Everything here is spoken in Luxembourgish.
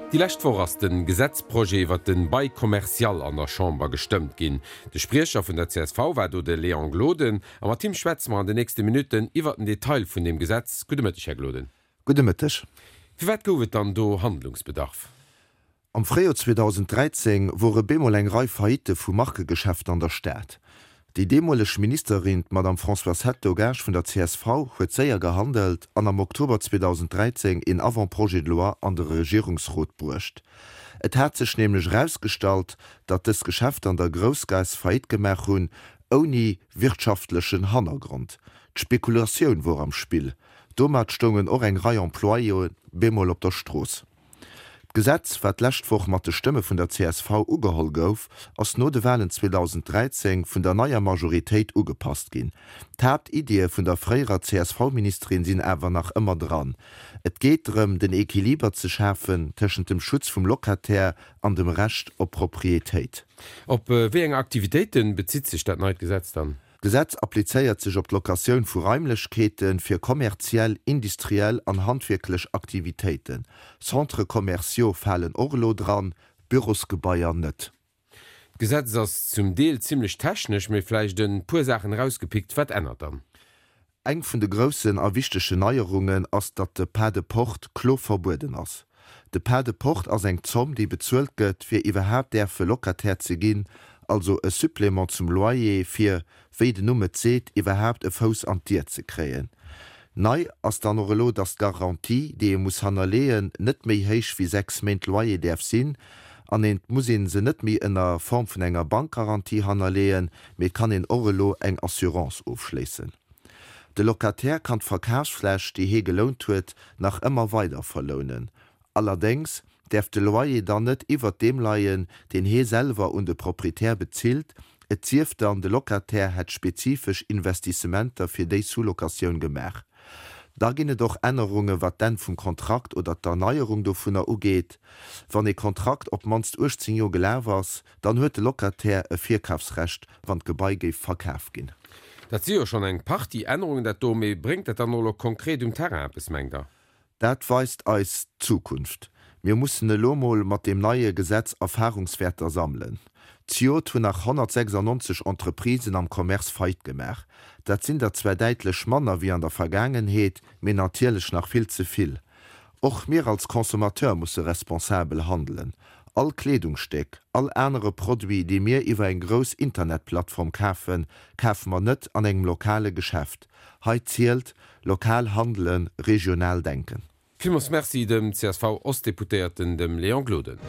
Déi lescht Woch ass de Gesetzprojet iwwert de Bail commercial an der Chamber gestëmmt ginn. De Spriecher vun der csv war do de Léon Gloden a mat him schwätze mer an den nächste Minutten iwwert den Detail vun deem Gesetz. Gudde Mëtteg, Här Gloden. Gudde Mëtteg. Firwat gouf et dann do Handlungsbedarf? Am Fréijoer 2013 wore bemol eng Rei Faillite vu Markegeschäfter an der Stad. Déi deemoleg Ministerin, d'Madame Françoise Hetto-Gaasch vun der csv, huet séier gehandelt an am Oktober 2013 een Avant-projet de loi an de Regierungsrot bruecht. Et hat sech nämlech erausgestallt, datt dës Geschäfter an der Groussgaass Faillite gemaach hunn, ouni wirtschaftlechen Hannergrond. D'Spekulatioun wor am Spill. Domat stoungen och eng Rei Employéë bemol op der Strooss. D'Gesetz, wat d'lescht Woch mat de Stëmme vun der csv ugeholl gouf, ass no de Walen 2013 vun der neier Majoritéit ugepasst ginn. D'Haaptiddie vun der fréierer CSV-Ministerin sinn awer nach ëmmer dran. Et geet drëm, den Equiliber ze schafen tëschent dem Schutz vum Locataire an dem Recht op Proprietéit. Op wéi eng Aktivitéite bezitt sech dat neit Gesetz dann? D'Gesetz applizéiert sech op d'Locatioun vu Raimlechkeete fir kommerziell, industriell an handwierklech Aktivitéiten. Centres commerciaux falen och elo dran, Bürosgebaier net. D'Gesetz ass zum Deel zimlech technesch, mee vläicht e puer Saachen erausgepickt. Wat ännert dann? Eng vun de groussen a wichtegen Neierungen ass, datt de Pas de porte clos verbueden ass. De Pas de porte ass eng Zomm, déi bezuelt gëtt, fir iwwerhaapt däerfe Locataire ze ginn, also e Supplément zum Loyer, fir, wéi den Numm et seet, iwwerhaapt e Fouss an d'Dier ze kréien. Nei ass dann och elo, datt d'Garantie, déi ee muss hannerleeën, net méi héich wéi 6 Méint Loyer däerf sinn an et muss ee se net méi ënner Form vun enger Bankgarantie hannerleeën, mee et kann een och elo eng Assurance ofschléissen. De Locataire kann d'Verkafsfläch, déi hee gelount huet, nach ëmmer weider verlounen. Allerdéngs däerf de Loyer dann net iwwert deem leien, deen hee selwer un de Proprietär bezilt, et sief dann, de Locataire hätt spezifesch Investissementer fir déi Sous-locatioun gemaach. Da ginn et och Ännerunge wat d'Enn vum Kontrakt oder d'Erneierung dovunner ugeet. Wann ee Kontrakt op d'mannst 18 Joer gelaf ass, Dann huet de Locataire e Virkafsrecht, wann d'Gebai géif verkaf ginn. Dat si jo schonn eng Partie Ännerungen, dat do. Mee bréngt dat dann och elo konkret um Terrain eppes, mengt Der? Dat weist eis d'Zukunft. Mir mussen elo mol mat deem neie Gesetz Erfahrungswäerter sammelen. Zejoert hunn nach 196 Entreprisen am Commerce Faillite gemaach. Dat sinn der zwar däitlech manner wéi an der Vergaangenheet, mee natierlech nach vill ze vill. Och mir als Consommateur musse responsabel handelen. All Kleedungsstéck, all anere Produit, dee mir iwwer eng grouss Internetplattform kafen, kafe mer net an engem lokale Geschäft. Hei zielt, lokal handelen, regional denken. Villmools Merci dem CSV-Ostdeputéierten, dem Léon Gloden.